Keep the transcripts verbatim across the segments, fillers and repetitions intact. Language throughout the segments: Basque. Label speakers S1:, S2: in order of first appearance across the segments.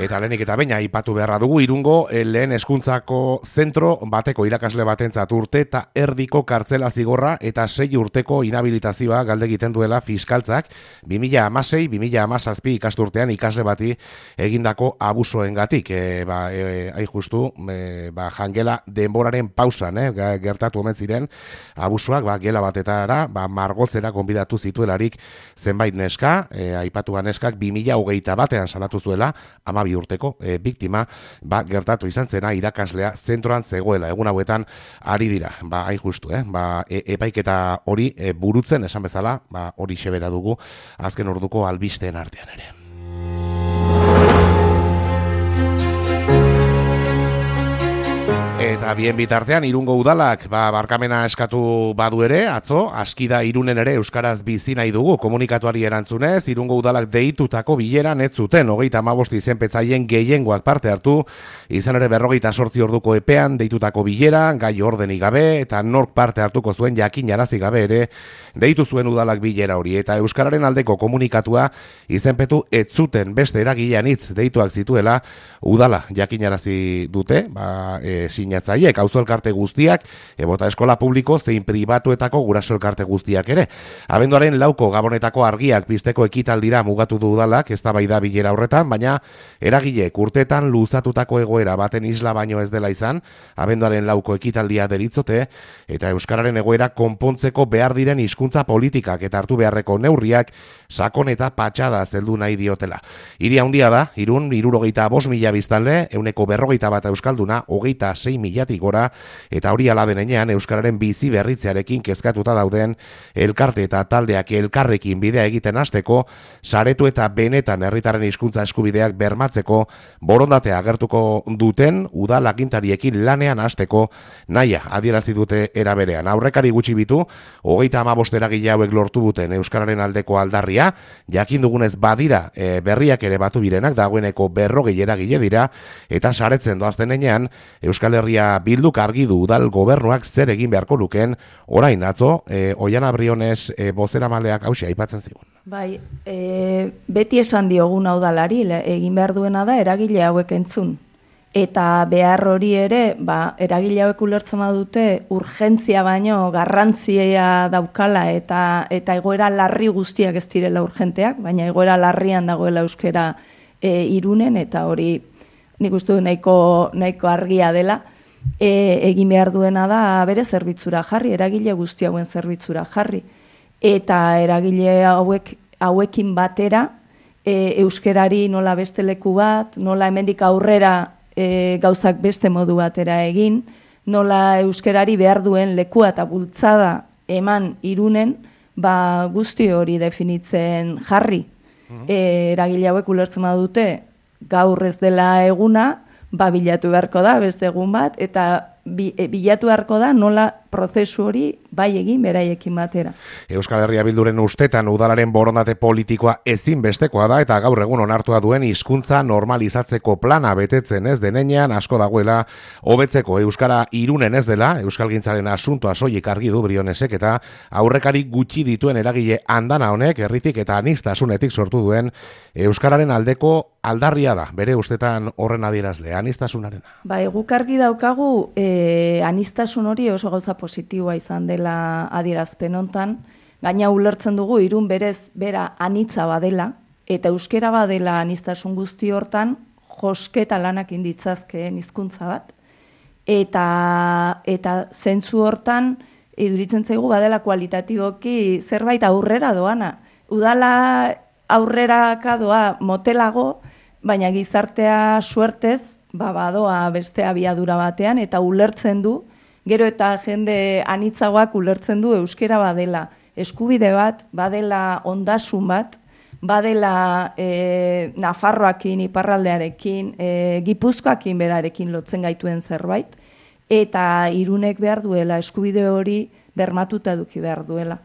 S1: Eta lehenik eta baina aipatu beharra dugu Irungo lehen hezkuntzako zentro bateko irakasle batentzat urte eta erdiko kartzela zigorra eta sei urteko inhabilitazioa galde egiten duela fiskaltzak bi mila hamasei bi mila hamazazpi ikasturtean ikasle bati egindako abusoengatik. E, ba, e, hain justu, e, ba, jangela denboraren pausan, eh, gertatu omen ziren abusoak, ba, gela batetara, ba, margotzera konbidatu zituelarik zenbait neska, e, aipatu neskak bi mila hogeita batean salatu zuela, ama bi urteko e, biktima, ba, gertatu izan zena irakaslea zentroan zegoela. Egun hauetan ari dira, ba, hain justu, eh? ba, e, epaiketa hori e, burutzen, esan bezala, ba, hori xebera dugu azken orduko albisteen artean ere. Eta bien bitartean, Irungo udalak ba, barkamena eskatu badu ere, atzo, askida Irunen ere euskaraz bizi nahi dugu komunikatuari erantzunez, Irungo udalak deitutako bileran ez zuten, hogeita hamabost izenpetzaien gehiengoak parte hartu, izan ere berrogeita sortzi orduko epean deitutako bilera, gai ordenik gabe, eta nork parte hartuko zuen jakinarazi gabe ere, deitu zuen udalak bilera hori, eta euskararen aldeko komunikatua izenpetu ez zuten beste eragilean hitz deituak zituela, udala jakinarazi dute, ba, e, sinatzaiek, auzo elkarte guztiak, ebota eskola publiko zein pribatuetako guraso elkarte guztiak ere. Abenduaren lauko gabonetako argiak pizteko ekitaldira mugatu du udalak, eztabaida bilera horretan, baina eragileek urteetan luzatutako egoera baten isla baino ez dela izan, abenduaren lauko ekitaldia deritzote, eta euskararen egoera konpontzeko behar diren hizkuntza politikak eta hartu beharreko neurriak sakon eta patxada zeldu nahi diotela. Hiri handia da, Irun, hirurogeita bost mila biztanle, ehuneko berrogeita bat euskalduna, hogeita sei milatik gora, eta hori ala denean euskararen bizi berritzearekin kezkatuta dauden elkarte eta taldeak elkarrekin bidea egiten hasteko, saretu eta benetan herritarren hizkuntza eskubideak bermatzeko borondatea agertuko duten udal agintariekin lanean hasteko nahia adierazi dute era berean. Aurrekari gutxi bitu, hogeita hamabost eragile hauek lortu duten euskararen aldeko aldarria, jakin dugunez badira e, berriak ere batu birenak, dagoeneko berrogei eragile dira, eta saretzen doazten enean, Euskal Herria Bilduk argi du udal gobernuak zer egin beharko lukeen, orain atzo, e, Oiana Briones e, bozeramaleak hausia aipatzen zigun.
S2: Bai, e, beti esan dioguna udalari, egin behar duena da eragile hauek entzun. Eta behar hori ere, ba, eragile hauek ulertzen badute urgentzia baino garrantzia daukala eta eta egoera larri guztiak ez direla urgenteak, baina egoera larrian dagoela euskera e, Irunen, eta hori nik uste du nahiko, nahiko argia dela, e, egin behar duena da bere zerbitzura jarri, eragile guzti hauen zerbitzura jarri. Eta eragile hauek hauekin batera e, euskerari nola beste leku bat, nola hemendik aurrera e, gauzak beste modu batera egin, nola euskerari behar duen lekua eta bultzada eman Irunen, ba guzti hori definitzen jarri. E, eragile hauek ulertzen badute gaur ez dela eguna, ba bilatu beharko da beste egun bat, eta bi, e, bilatu beharko da nola prozesu hori bai egin beraiekin batera.
S1: Euskal Herria Bilduren ustetan udalaren borondate politikoa ezinbestekoa da, eta gaur egun onartua duen hizkuntza normalizatzeko plana betetzen ez denean asko dagoela hobetzeko euskara Irunen ez dela, euskalgintzaren asuntoa soilik argi du Brionesek, eta aurrekari gutxi dituen eragile andana honek herritik eta aniztasunetik sortu duen euskararen aldeko aldarria da, bere ustetan horren adierazle, anistasunarena.
S2: Ba, guk argi daukagu e, anistasun hori oso gauza positiboa izan dela adierazpen hontan, gaina ulertzen dugu Irun berez bera anitza badela, eta euskera badela anistasun guzti hortan, josketa lanak inditzazkeen hizkuntza bat, eta, eta zentzu hortan, iduritzen zaigu badela kualitatiboki zerbait aurrera doana. Udala aurreraka doa motelago, baina gizartea suertez, ba, badoa beste abiadura batean, eta ulertzen du, gero eta jende anitzagoak ulertzen du euskera badela eskubide bat, badela ondasun bat, badela e, Nafarroakin, iparraldearekin, e, Gipuzkoakin berarekin lotzen gaituen zerbait, eta Irunek behar duela, eskubide hori bermatuta eduki behar duela.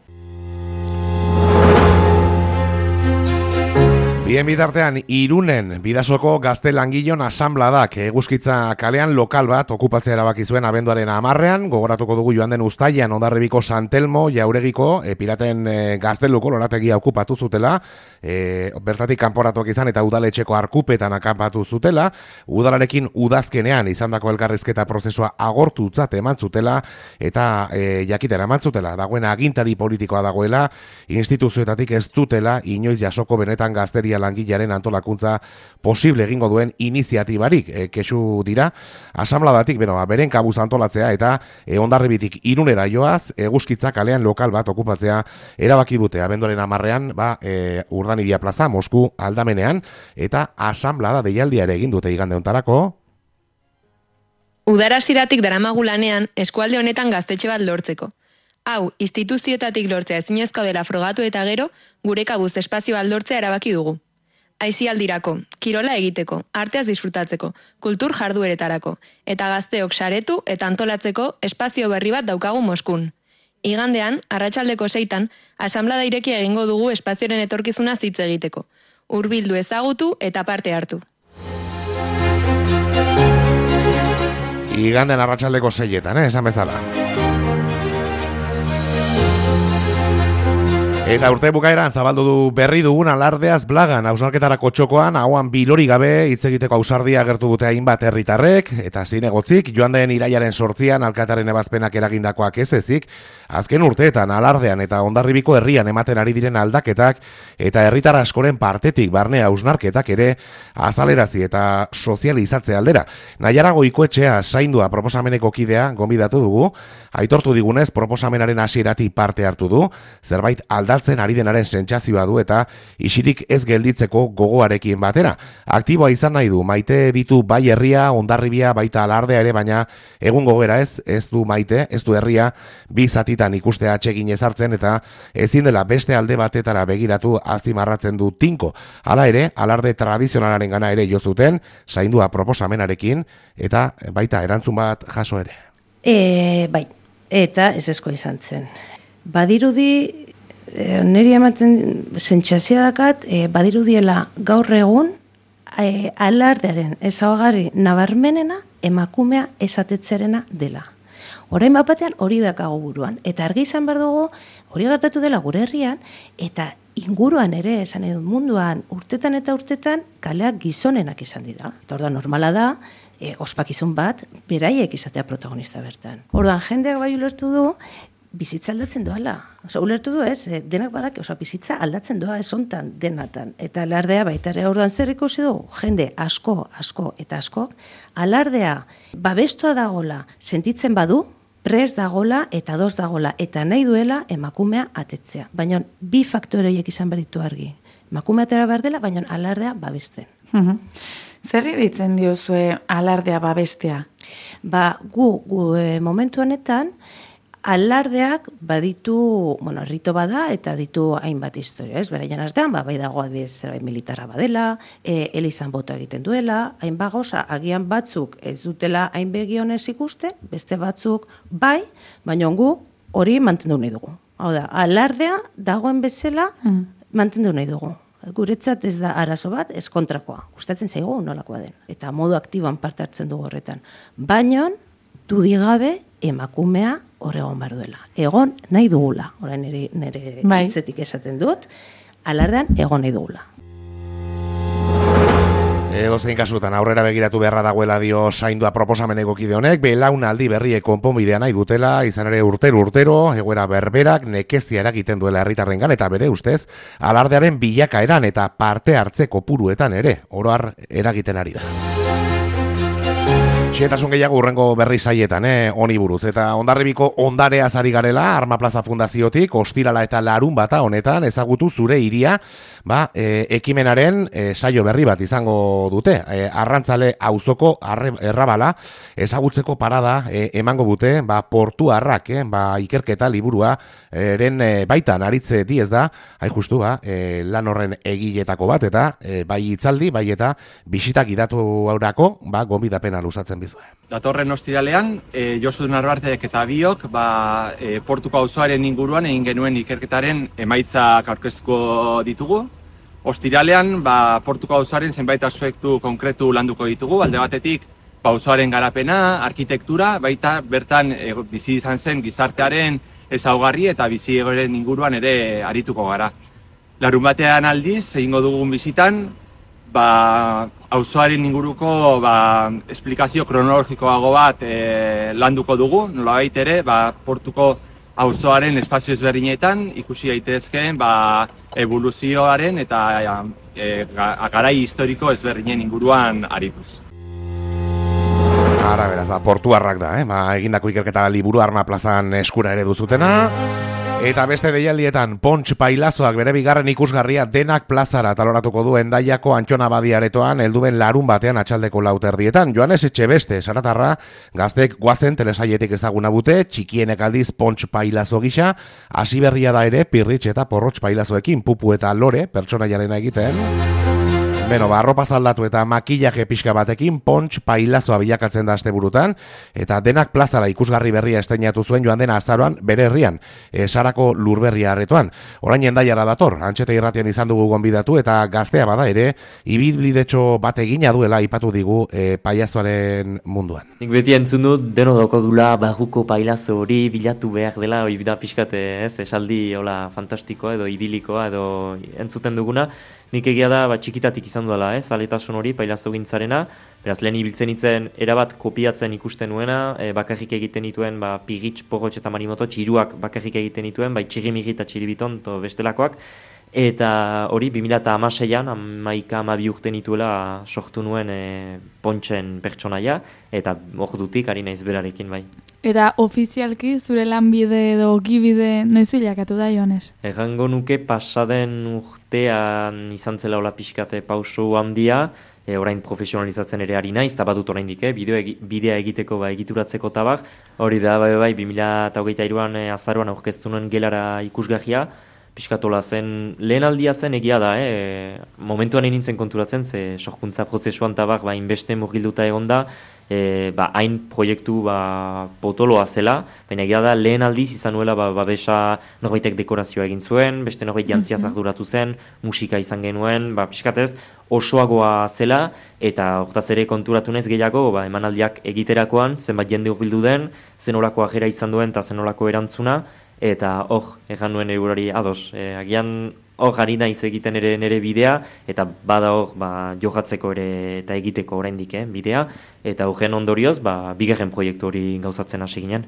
S1: Bien bitartean, Irunen Bidasoko gazte langilon asanbladak Eguzkitza kalean lokal bat okupatzea erabaki zuen abenduaren hamarrean, gogoratuko dugu joan den uztailean Hondarribiko Santelmo Jauregiko e, piraten e, gazteluko lorategia okupatu zutela, e, bertatik kanporatuak izan eta udaletxeko arkupetan akanpatu zutela, udalarekin udazkenean izandako elkarrizketa prozesua agortutzat eman zutela eta e, jakitera eman zutela, dagoen agintari politikoa dagoela, instituzioetatik ez dutela inoiz jasoko benetan gazteria langilearen antolakuntza posible egingo duen iniziatibarik e, kesu dira, asanbladatik beno, beren kabuz antolatzea eta e, Hondarribitik Irunera joaz, Eguzkitza kalean lokal bat okupatzea erabaki dute abenduaren hamarrean, ba, e, Urdanibia plaza, Mosku aldamenean, eta asanblada deialdia ere egin dute igande hontarako.
S3: Udara ziratik daramagu lanean eskualde honetan gaztetxe bat lortzeko. Hau, instituzioetatik lortzea ezinezko dela frogatu eta gero, gure kabuz espazio bat lortzea erabaki dugu. Aisialdirako, kirola egiteko, arteaz disfrutatzeko, kultur jardueretarako, eta gazteok saretu eta antolatzeko espazio berri bat daukagu Moskun. Igandean, arratsaldeko seitan, asanblada irekia egingo dugu espazioaren etorkizuna hitz egiteko. Hurbildu ezagutu eta parte hartu.
S1: Igandean arratsaldeko seietan, eh, esan bezala. Eta urte bukaeran zabaldu du berri dugun alardeaz blagan, hausnarketarako txokoan, hauan bilori gabe hitz egiteko ausardia agertu dute hainbat herritarrek, eta zinegotzik, joan den irailaren sortzian alkataren ebazpenak eragindakoak ez ezik, azken urteetan alardean eta Hondarribiko herrian ematen ari diren aldaketak, eta herritar askoren partetik barne hausnarketak ere azalerazi eta sozializatze aldera. Naiara Goikoetxea zaindua proposameneko kidea gonbidatu dugu, aitortu digunez proposamenaren hasieratik parte hartu du, zerbait aldatzen ari denaren sentsazioa du eta isirik ez gelditzeko gogoarekin batera. Aktiboa izan nahi du, maite ditu bai herria, Hondarribia, baita alardea ere, baina egun gogera ez, ez du maite, ez du herria, bi zatitan ikustea atsegin ezartzen eta ezin dela beste alde batetara begiratu azpimarratzen du tinko. Hala ere, alarde tradizionalaren gana ere jo zuten, zaindua proposamenarekin, eta baita erantzun bat jaso ere.
S4: E, bai, eta ez esko izan zen. Badirudi, E, niri ematen sentsazioa dakat, e, badirudiela gaur egun e, alardearen ezaugarri nabarmenena emakumea esatetzerena dela. Orain bat batean hori dakago buruan, eta argi izan behar dugu hori gertatu dela gure herrian, eta inguruan ere, esan edut munduan, urtetan eta urtetan kaleak gizonenak izan dira. Eta orduan normala da, e, ospakizun bat, beraiek izatea protagonista bertan. Orduan jendeak bai ulertu du, bizitza aldatzen doala. Osa, ulertu du ez, denak badak, osa, bizitza aldatzen doa ez hontan denatan. Eta alardea baita ere orduan zer ikusi du, jende asko, asko eta asko, alardea babestua dagola sentitzen badu, prest dagola eta doz dagola, eta nahi duela emakumea atetzea. Baina bi faktore horiek izan beritu argi. Emakumea atera behar dela, baina alardea babesten.
S5: Mhm. Zer ditzen diozue alardea babestea?
S4: Ba, gu, gu e, momentu honetan, alardeak baditu, bueno, rito bada eta ditu hainbat historia, ez? Beraien artean, ba, bai dago adibidez zerbait militarra badela, e, elizan boto egiten duela, hainbat gauza, agian batzuk ez dutela hain begionez ikusten, beste batzuk bai, baina gu hori mantendu nahi dugu. Hau da, alardea dagoen bezala mm. mantendu nahi dugu. Guretzat ez da arazo bat, ez kontrakoa. Gustatzen zaigu nolakoa den. Eta modu aktiboan parte hartzen dugu horretan. Baina, dudigabe emakumea hor egon behar duela. Egon nahi dugula, orain nire, nire bai. Hitzetik esaten dut, alardean egon nahi dugula.
S1: Edozein kasutan aurrera begiratu beharra dagoela dio zaindua proposameneko kide honek, belaunaldi berriek konponbidea nahi dutela, izan ere urtero urtero, egoera berberak nekezia eragiten duela herritarrengan eta bere ustez, alardearen bilakaeran eta parte hartze kopuruetan ere, oro har eragiten ari da. Xetasun gehiago urrengo berri saietan, eh, honi buruz. Eta Hondarribiko ondareaz ari garela, Arma Plaza Fundaziotik, ostirala eta larun bata honetan, ezagutu zure hiria, ba, e, ekimenaren e, saio berri bat izango dute. E, arrantzale auzoko errabala, ezagutzeko parada e, emango dute, ba, portu harrak, eh, ba, ikerketa liburua, eren e, baitan aritze diez da, hain justu, ba, e, lan horren egiletako bat, eta e, bai hitzaldi, bai eta bisitak idatu haurako, ba, gonbidapena luzatzen bizue.
S6: Datorren ostiralean, e, Josu Narbartek eta biok, ba, e, portuko auzoaren inguruan egin genuen ikerketaren emaitzak aurkeztuko ditugu. Ostiralean, ba, portuko auzaren zenbait aspektu konkretu landuko ditugu, alde batetik, auzoaren garapena, arkitektura, baita bertan e, bizi izan zen gizartearen ezaugarri eta bizi egoeren inguruan ere arituko gara. Larun batean aldiz, egingo dugun bizitan, ba, auzoaren inguruko ba, esplikazio kronologikoago bat e, landuko dugu, nolabait ere, ba, portuko auzoaren espazio ezberdinetan ikusi daitezkeen ba, evoluzioaren eta e, garai historiko ezberdinen inguruan arituz.
S1: Ara, beraz, da, portuarrak da, eh? Ba, egindako ikerketa liburu Arma plazan eskura ere duzutena. Eta beste deialdietan, Pontx Pailazoak bere bigarren ikusgarria Denak plazara taloratuko du Hendaiako Antxona Badi aretoan helduen larun batean atxaldeko lauterdietan. Joanes Etxebeste, Saratarra, gaztek guazen telesaietik ezaguna bute, txikienek aldiz Pontx Pailazo gisa, hasi berria da ere Pirritx eta Porrotx Pailazoekin Pupu eta Lore, pertsonaiarena egiten. Beno, ba, arropa zaldatu eta makillaje pixka batekin Pontx Pailazoa bilakatzen da asteburutan, eta Denak plazara ikusgarri berria esteinatu zuen joan dena azaroan bere herrian, e, Sarako Lurberria aretoan. Orain Hendaiara dator, Antxeta irratian izan dugu gonbidatu eta gaztea bada ere, ibilbidetxo bat egina duela aipatu digu e, pailazoaren munduan.
S7: Nik beti entzun dut, deno daukagula barruko pailazo hori bilatu behar dela, hori da pixkat, ez, esaldi hola fantastikoa edo idilikoa edo entzuten duguna. Nik egia da, ba, txikitatik izan duela, ez, aletasun hori, pailazo gintzarena, beraz, lehen ibiltzen itzen, erabat kopiatzen ikusten nuena, e, bakarrik egiten dituen, ba, Pirritx, Porrotx eta Marimoto, txiruak bakarrik egiten dituen, bai, txirimiri eta txiribiton, to bestelakoak, eta hori, bi mila hamaseian, hamaika hamabi urte nituela sortu nuen e, Pontxen pertsonaia, eta ordutik ari naiz berarekin, bai.
S5: Eta ofizialki zure lanbide edo gibide noiz bilakatu da, Joanes?
S7: Errango nuke pasaden urtean izan zela hola pixkate pauso handia, e, orain profesionalizatzen ere ari naiz, eta badut oraindik, eh, bideo egi, bidea egiteko, ba, egituratzeko tabak, hori da, bai, bai, bi mila hogeita hiruan e, azaroan aurkeztu nuen gelara ikusgarria, pixkatola zen, lehen aldia zen egia da, eh? Momentuan egin nintzen konturatzen, ze sorkuntza prozesuan tabak, ba, inbeste murgilduta egon da, e, ba, hain proiektu ba, potoloa zela, baina egia da lehen aldiz izan nuela ba, babesa norbaitek dekorazioa egin zuen, beste norbait jantziaz arduratu zen, musika izan genuen, ba, pixkatez osoagoa zela, eta hortaz ere konturatu naiz gehiago, ba, emanaldiak egiterakoan, zenbat jende hurbildu den, zenolako ajera izan duen eta zenolako erantzuna, eta hor, egan nuen eurari ados, e, agian hor ari naiz egiten ere nere bidea, eta bada hor ba, jokatzeko ere eta egiteko oraindik eh, bidea, eta horren ondorioz, ba, bigarren proiektu hori gauzatzen hasi ginen.